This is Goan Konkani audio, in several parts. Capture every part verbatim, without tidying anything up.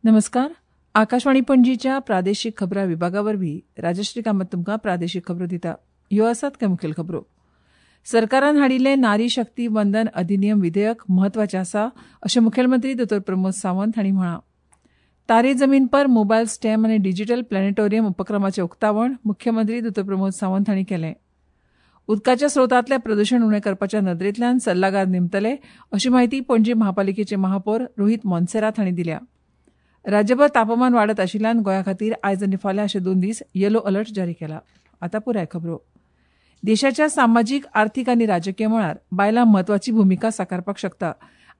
नमस्कार, आकाशवाणी पणजीच्या प्रादेशीक खबरां विभागा वरवीं राजश्री कामत तुमकां प्रादेशीक खबरो दिता. ह्यो आसात कांय मुखेल खबरो. सरकारान हाडिल्लें नारी शक्ती वंदन अधिनियम विधेयक म्हत्वाचें आसा अशें मुखेलमंत्री दोतोर प्रमोद सावंत हांणी म्हळां. तारे जमीन पर मोबायल स्टॅम आनी डिजिटल प्लॅनेटोरियम उपक्रमाचें उक्तावण मुख्यमंत्री दोतोर प्रमोद सावंत हांणी केलें. उदकाच्या स्रोतांतलें प्रदूशण उणें करपाच्या नदरेंतल्यान सल्लागार नेमतले अशी म्हायती पणजी महापालिकेचे महापौर रोहीत मोन्सेरात हांणी दिल्या. राज्यभर तापमान वाडत आशिल्ल्यान गोंया खातीर आयज आनी फाल्यां अशे दोन दीस येलो अलर्ट जारी केला. आतां पुराय खबरो. देशाच्या सामाजीक, आर्थीक आनी राजकीय मळार बायलां म्हत्वाची भुमिका साकारपाक शकता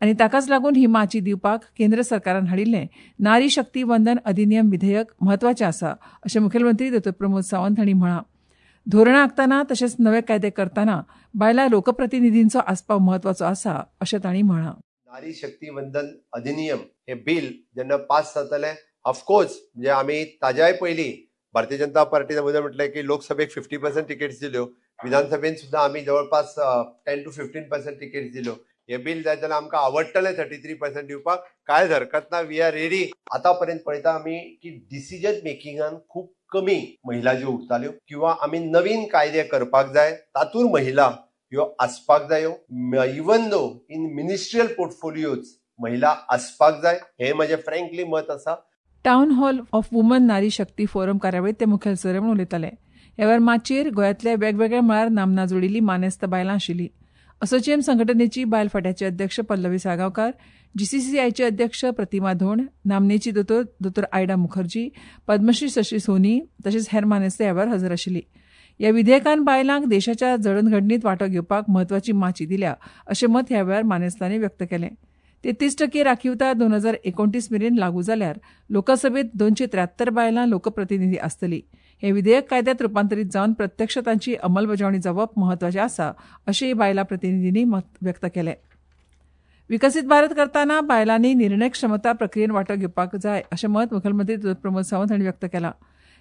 आनी ताकाच लागून ही माची दिवपाक केंद्र सरकारान हाडिल्लें नारी शक्ती वंदन अधिनियम विधेयक म्हत्वाचें आसा अशें मुखेलमंत्री दोतोर प्रमोद सावंत हांणी म्हळां. धोरणां आंखतना तशेंच नवे कायदे करतना बायलां लोकप्रतिनिधींचो आस्पाव म्हत्वाचो आसा अशें तांणी म्हळां. नारी शक्ती वंदन अधिनियम हे बिल जेन्ना पास जातलें, ऑफकोर्स म्हणजे आमी ताज्याय पयलीं भारतीय जनता पार्टीन अगोदर म्हटलें की लोकसभेक फिफ्टी पर्संट तिकेट्स दिल्यो, विधानसभेन सुद्दां आमी जवळपास ten to fifteen percent tickets दिल्यो. हे बिल जाय जाल्यार आमकां आवडटलें थर्टी थ्री पर्संट दिवपाक, कांयच हरकत ना, we are ready. आतां पर्यंत पळयता आमी की डिसिजन मेकिंगान खूब कमी महिला ज्यो उरताल्यो किंवा आमी नवीन कायदे करपाक जाय तातूंत महिला ह्यो आसपाक जायो, even though in ministerial portfolios महिला आसपाक जाय, हे म्हजें फ्रँकली मत आसा. Town hall of woman Nari Shakti forum कार्यावळींत ते मुखेल सोयरे म्हूण उलयताले. ह्या वेळार माचयेर गोंयांतल्या वेगवेगळ्या मळार नामना जोडिल्ली मानेस्त बायलां आशिल्ली. असोचेम संघटनेची बायल फांट्याचे अध्यक्ष पल्लवी साळगांवकार, जीसीसीआयचे अध्यक्ष प्रतिमा धोंड, नामनेची दोतोर दोतोर आयडा मुखर्जी, पद्मश्री शशी सोनी तशेंच हेर मानेस्त ह्या वेळार हजर आशिल्ली. ह्या विधेयकान बायलांक देशाच्या जडणघडणीत वांटो घेवपाक म्हत्वाची माची दिल्या अशें मत ह्या वेळार मानेस्तांनी व्यक्त केलें. तेत्तीस टक्के राखीवता दोन हजार एकोणतीस मेरेन लागू जाल्यार लोकसभेत दोनशे त्र्यात्तर बायलां लोकप्रतिनिधी आसतली. हें विधेयक कायद्यांत रुपांतरीत जावन प्रत्यक्ष तांची अंमलबजावणी जावप म्हत्वाचें आसा अशेंय बायलां प्रतिनिधींनी मत व्यक्त केलें. विकसीत भारत करतना बायलांनी निर्णय क्षमता प्रक्रियेन वांटो घेवपाक जाय अशें मत मुखेलमंत्री प्रमोद सावंत हांणी व्यक्त केलां.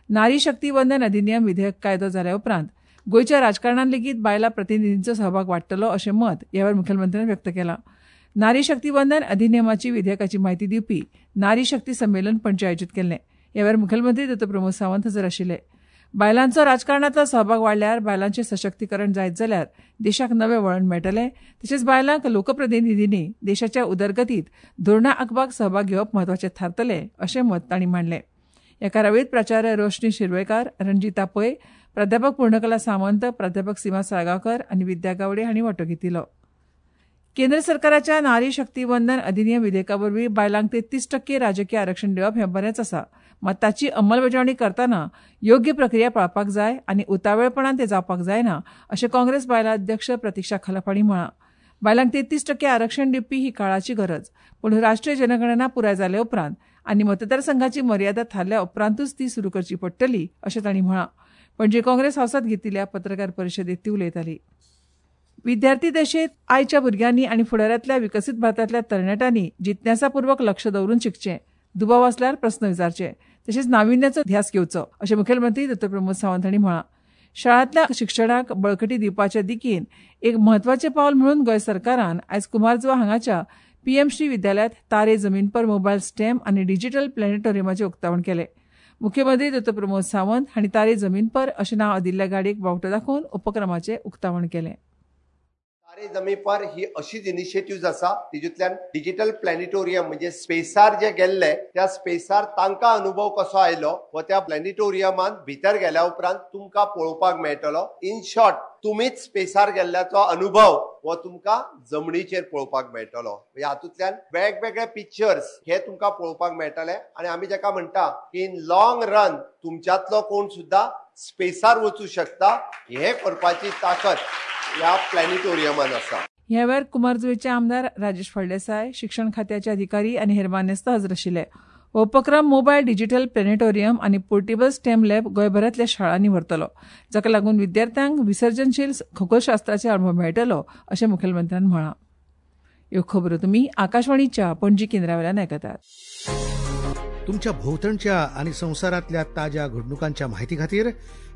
नारी शक्ती वंदन अधिनियम विधेयक कायदो जाल्या उपरांत गोंयच्या राजकारणांत लेगीत बायलां प्रतिनिधींचो सहभाग वाडटलो अशें मत ह्या वेळार मुखेलमंत्र्यान व्यक्त केलां. नारी शक्ती वंदन अधिनियमाची विधेयकाची म्हायती दिवपी नारी शक्ती संमेलन पणजे आयोजीत केल्लें. ह्या वेळार मुखेलमंत्री दोतोर प्रमोद सावंत हजर आशिल्ले. बायलांचो राजकारणांतलो सहभाग वाडल्यार बायलांचें सशक्तीकरण जायत जाल्यार देशाक नवें वळण मेळटलें तशेंच बायलांक लोकप्रतिनिधींनी देशाच्या उदरगतींत धोरणां आंखपाक सहभाग घेवप म्हत्वाचें थारतलें अशें मत तांणी मांडलें. ह्या कार्यावळींत प्राचार्य रोशनी शिरवयकार, रणजिता पै, प्राध्यापक पूर्णकला सामंत, प्राध्यापक सीमा साळगांवकर आनी विद्या गावडे हांणी वांटो घेतिल्लो. केंद्र सरकाराच्या नारी शक्ती वंदन अधिनियम विधेयका वरवीं बायलांक तेत्तीस टक्के राजकीय आरक्षण दिवप हें बरेंच आसा, मात ताची अंमलबजावणी करतना योग्य प्रक्रिया पाळपाक जाय आनी उतावेळपणान तें जावपाक जायना अशें काँग्रेस बायलां अध्यक्ष प्रतिक्षा खलप हांणी म्हळां. बायलांक तेत्तीस टक्के आरक्षण दिवपी ही काळाची गरज, पूण राष्ट्रीय जनगणना पुराय जाले उपरांत आनी मतदारसंघाची मर्यादा थारल्या उपरांतूच ती सुरू करची पडटली अशें तांणी म्हळां. पणजे काँग्रेस हावसांत घेतिल्ल्या पत्रकार परिशदेंत ती उलयताली. विद्यार्थी दशेंत आयच्या भुरग्यांनी आनी फुडारांतल्या विकसीत भारतांतल्या तरणाट्यांनी जिज्ञासापूर्वक लक्ष दवरून शिकचें, दुबाव आसल्यार प्रस्न विचारचे तशेंच नाविन्याचो ध्यास घेवचो अशें मुखेलमंत्री दोतोर प्रमोद सावंत हांणी म्हळां. शाळांतल्या शिक्षणाक बळकटी दिवपाच्या दिकेन एक म्हत्वाचें पावल म्हणून गोंय सरकारान आयज कुमारजुवा हांगाच्या पीएम श्री विद्यालयांत तारे जमीन पर मोबायल स्टॅम आनी डिजिटल प्लॅनेटोरियमाचें उक्तावण केलें. मुख्यमंत्री दोतोर प्रमोद सावंत हांणी तारे जमीन पर अशें नांव दिल्ल्या गाडयेक बावटो दाखोवन उपक्रमाचें उक्तावण केलें. तारे जमीन पर ही अशीच इनिशिएटिव्ह आसा तितूंतल्यान डिजिटल प्लॅनेटोरियम म्हणजे स्पेसार जे गेल्ले त्या स्पेसार तांकां अनुभव कसो आयलो हो त्या प्लॅनेटोरियमान भितर गेल्या उपरांत तुमकां पळोवपाक मेळटलो. इन शॉर्ट तुमीच स्पेसार गेल्ल्याचो अनुभव हो तुमकां जमनीचेर पळोवपाक मेळटलो. म्हणजे हातूंतल्यान वेगवेगळे पिक्चर्स हे तुमकां पळोवपाक मेळटले आनी आमी जाका म्हणटा की इन लॉंग रन तुमच्यांतलो कोण सुद्दां स्पेसार वचूं शकता हे करपाची ताकद ह्या प्लॅनेटोरियमान आसा. ह्या वेळार कुमारजुवेचे आमदार राजेश फळदेसाय, शिक्षण खात्याचे अधिकारी आनी हेर मानेस्त हजर आशिल्ले. हो उपक्रम मोबायल डिजिटल प्लॅनेटोरियम आनी पोर्टेबल स्टेम लॅब गोंयभरांतल्या शाळांनी व्हरतलो, जाका लागून विद्यार्थ्यांक विसर्जनशील खगोलशास्त्राचे अणभव मेळटलो अशें मुखेलमंत्र्यान म्हळां. ह्यो खबरो तुमी आकाशवाणीच्या पणजी केंद्रावेल्यान आयकतात. तुमच्या भोवतणच्या आनी संवसारांतल्या ताज्या घडणुकांच्या म्हायती खातीर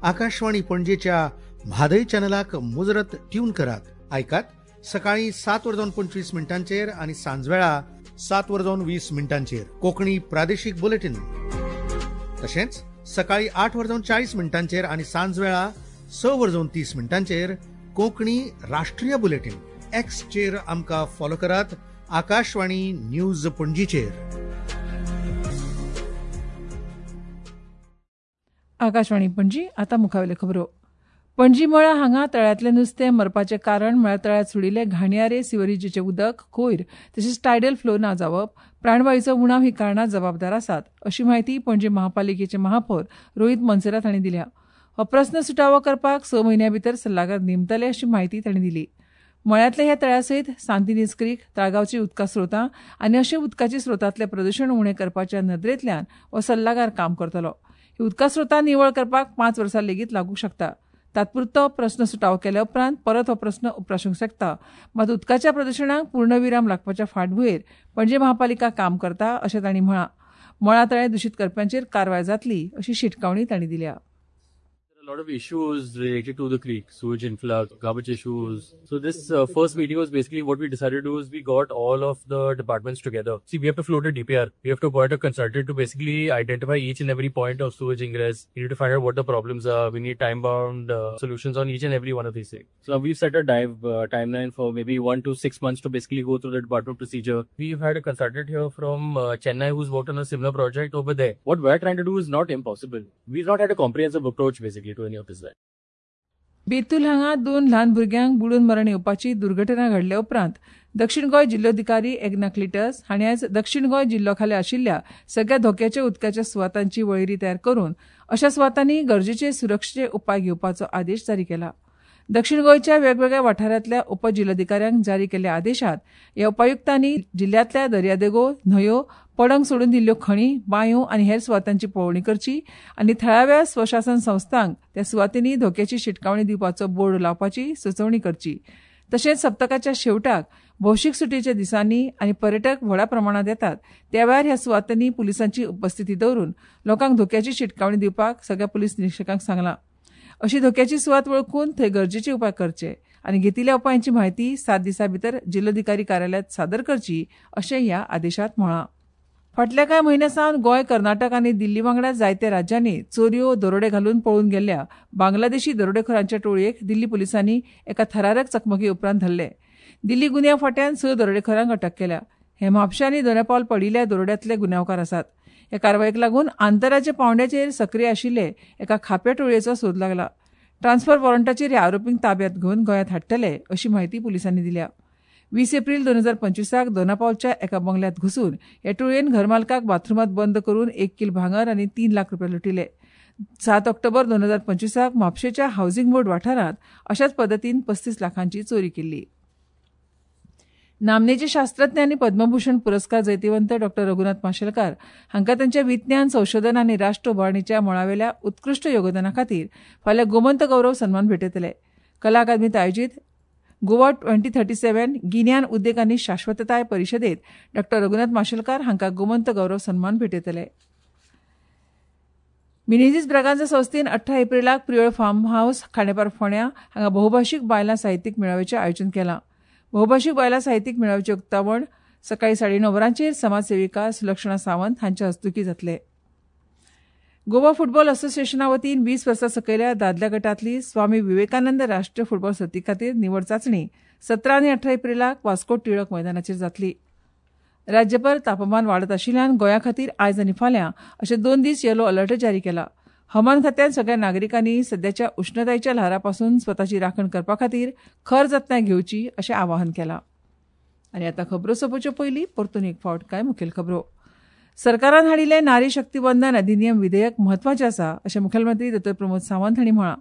आकाशवाणी पणजेच्या म्हादय चॅनलाक मुजरत ट्यून करात. आयकात सकाळी सात वरां पंचवीस मिनटांचेर आनी सांजवेळा सात वरां जावन वीस मिनटांचेर कोंकणी प्रादेशीक बुलेटीन, तशेंच सकाळी आठ वरां जावन चाळीस मिनटांचेर आनी सांजवेळा स वरां जावन तीस मिनटांचेर कोंकणी राष्ट्रीय बुलेटीन. एक्सचेर आमकां फॉलो करात आकाशवाणी न्यूज पणजीचेर. आकाशवाणी पणजी. आतां मुखावेल्यो खबरो. पणजी मळा हांगा तळ्यांतलें नुस्तें मरपाचें कारण म्हळ्यार तळ्यांत सोडिल्लें घाणयारे सिवरेजीचें उदक, कोयर तशेंच टायडल फ्लो ना जावप, प्राणवायूचो उणाव ही कारणां जबाबदार आसात अशी म्हायती पणजी महापालिकेचे महापौर रोहित मोन्सेरात हांणी दिल्या. हो प्रस्न सुटावो करपाक स म्हयन्यां भितर सल्लागार नेमतले अशी म्हायती तांणी दिली. मळ्यांतल्या ह्या तळ्या सयत सांतिनेज क्रीक, ताळगांवची उदका स्रोतां आनी अशे उदकाच्या स्रोतांतलें प्रदूशण उणें करपाच्या नदरेंतल्यान हो सल्लागार काम करतलो. ही उदका स्रोतां निवळ करपाक पांच वर्सां लेगीत लागूंक शकता. तात्पुरतो प्रस्न सुटावो केल्या उपरांत परत हो प्रस्न उप्रासूंक शकता. मात उदकाच्या प्रदूशणाक पूर्णविराम लागपाच्या फाटभुंयेर पणजे महापालिका काम करता अशें तांणी म्हळां. मळा तळें दुशीत करप्यांचेर कारवाय जातली अशी शिटकावणी तांणी दिल्या. A lot of issues related to the creek, sewage influx, garbage issues. So this uh, first meeting was basically what we decided to do is we got all of the departments together. See, we have to float a D P R. We have to appoint a consultant to basically identify each and every point of sewage ingress. We need to find out what the problems are. We need time-bound uh, solutions on each and every one of these things. So now we've set a dive uh, timeline for maybe one to six months to basically go through the department procedure. We've had a consultant here from uh, Chennai who's worked on a similar project over there. What we're trying to do is not impossible. We've not had a comprehensive approach basically to any of this. Betul हांगा दोन ल्हान भुरग्यांक बुडून मरण येवपाची दुर्घटना घडल्या उपरांत दक्षिण गोंय जिल्लोधिकारी एग्ना क्लिटस हांणी आयज दक्षिण गोंय जिल्लो खाला आशिल्ल्या सगळ्या धोक्याच्या उदकाच्या सुवातांची वळेरी तयार करून अशा सुवातांनी गरजेचे सुरक्षेचे उपाय घेवपाचो आदेश जारी केला. दक्षिण गोंयच्या वेगवेगळ्या वाठारांतल्या उपजिल्लोधिकाऱ्यांक जारी केल्ल्या आदेशात ह्या उपायुक्तांनी जिल्ल्यांतल्या दर्यादेगो, न्हंयो, पडंग सोडून दिल्ल्यो खणी, बांयो आनी हेर सुवातांची पळोवणी करची आनी थळाव्या स्वशासन संस्थांक त्या सुवातींनी धोक्याची शिटकावणी दिवपाचो बोर्ड लावपाची सुचोवणी करची. तशेंच सप्तकाच्या शेवटाक भौशीक सुटयेच्या दिसांनी आनी पर्यटक व्हडा प्रमाणांत येतात त्या वेळार ह्या सुवातांनी पुलिसांची उपस्थिती दवरून लोकांक धोक्याची शिटकावणी दिवपाक सगळ्या पुलीस निरिक्षकांक सांगलां. अशी धोक्याची सुवात वळखून थंय गरजेचे उपाय करचे आनी घेतिल्ल्या उपायांची म्हायती सात दिसां भितर जिल्लोधिकारी कार्यालयांत सादर करची अशें ह्या आदेशांत म्हळां. फाटल्या कांय म्हयन्यां सावन गोंय, कर्नाटक आनी दिल्ली वांगडा जायत्या राज्यांनी चोरयो, दरोडे घालून पळून गेल्ल्या बांगलादेशी दरोडेखोरांच्या टोळयेक दिल्ली पुलिसांनी एका थरारक चकमकी उपरांत धरले. दिल्ली गुन्यांव फांट्यान स दरोडेखोरांक अटक केल्या. हे म्हापशें आनी दोनापावल पडिल्ल्या दरोड्यांतले गुन्यांवकार आसात. ह्या कारवायेक लागून आंतरराज्य पांवड्याचेर सक्रीय आशिल्ले एका खाप्या टोळयेचो सोद लागला. ट्रान्सफर वॉरंटाचेर ह्या आरोपींक ताब्यांत घेवन गोंयांत हाडटले अशी म्हायती पुलिसांनी दिल्या. वीस एप्रील दोन हजार पंचवीसाक दोनापावलच्या एका बंगल्यांत घुसून ह्या टोळयेन घरमालकाक बाथरुमांत बंद करून एक कील भांगर आनी तीन लाख रुपया लुटिले. सात ऑक्टोबर दोन हजार पंचवीसाक म्हापशेच्या हावसिंग बोर्ड वाठारांत अशाच पद्दतीन पस्तीस लाखांची चोरी केल्ली. नामनेचे शास्त्रज्ञ आनी पद्मभूषण पुरस्कार जैतिवंत डॉ रघुनाथ माशेलकार हांकां तांच्या विज्ञान, संशोधन आनी राष्ट्र उबारणीच्या मळावेल्या उत्कृश्ट योगदाना खातीर फाल्यां गोमंत गौरव सन्मान भेटयतले. कला अकादमीत आयोजीत गोवा ट्वेंटी थर्टी सेव्हन गिन्यान उद्देग आनी शाश्वतताय परिशदेत डॉ रघुनाथ माशेलकार हांकां गोमंत गौरव सन्मान भेटयतले. मिनेझीस ब्रागांझा संस्थेन अठरा एप्रिलाक प्रियोळ फार्म हावस खांडेपार फोंड्यां हांगा बहुभाशीक बायलां साहित्यीक मेळाव्याचें आयोजन केलां. बहुभाशीक बायलां साहित्यीक मेळाव्याचें उक्तावण सकाळीं साडे णव वरांचेर समाजसेविका सुलक्षणा सावंत हांच्या हस्तुकीं जातलें. गोवा फुटबॉल असोसिएशना वतीन वीस वर्सां सकयल्या दादल्या गटांतली स्वामी विवेकानंद राष्ट्रीय फुटबॉल सर्ती खातीर निवड चांचणी सतरा आनी अठरा एप्रिलाक वास्को टिळक मैदानाचेर जातली. राज्यभर तापमान वाडत आशिल्ल्यान गोंया खातीर आयज आनी फाल्यां अशे दोन दीस येलो अलर्ट जारी केला. हवामान खात्यान सगळ्या नागरिकांनी सद्याच्या उश्णतायेच्या ल्हारापासून स्वताची राखण करपा खातीर खर जतनाय घेवची अशें आवाहन केलां. आनी आतां खबरो सोंपोवच्यो पयलीं परतून एक फावट कांय मुखेल खबरो. सरकारान हाडिल्लें नारी शक्ती वंदन अधिनियम विधेयक म्हत्वाचें आसा अशें मुखेलमंत्री दोतोर प्रमोद सावंत हांणी म्हळां.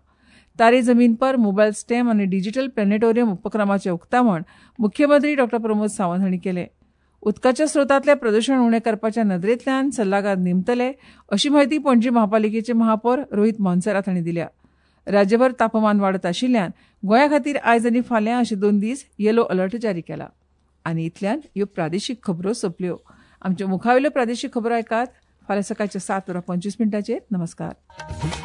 तारे जमीन पर, मोबायल स्टॅम आनी डिजिटल प्लॅनेटोरियम उपक्रमाचें उक्तावण मुख्यमंत्री डॉ प्रमोद सावंत हांणी केलें. उदकाच्या स्रोतांतलें प्रदूशण उणें करपाच्या नदरेंतल्यान सल्लागार नेमतले अशी म्हायती पणजी महापालिकेचे महापौर रोहित मोन्सेरात हांणी दिल्या. राज्यभर तापमान वाडत आशिल्ल्यान गोंया खातीर आयज आनी फाल्यां अशे दोन दीस येलो अलर्ट जारी केला. आनी इतल्यान ह्यो प्रादेशीक खबरो सोंपल्यो. आमच्यो मुखावेल्यो प्रादेशीक खबरो आयकात फाल्यां सकाळच्या सात वरां पंचवीस मिनटांचेर. नमस्कार.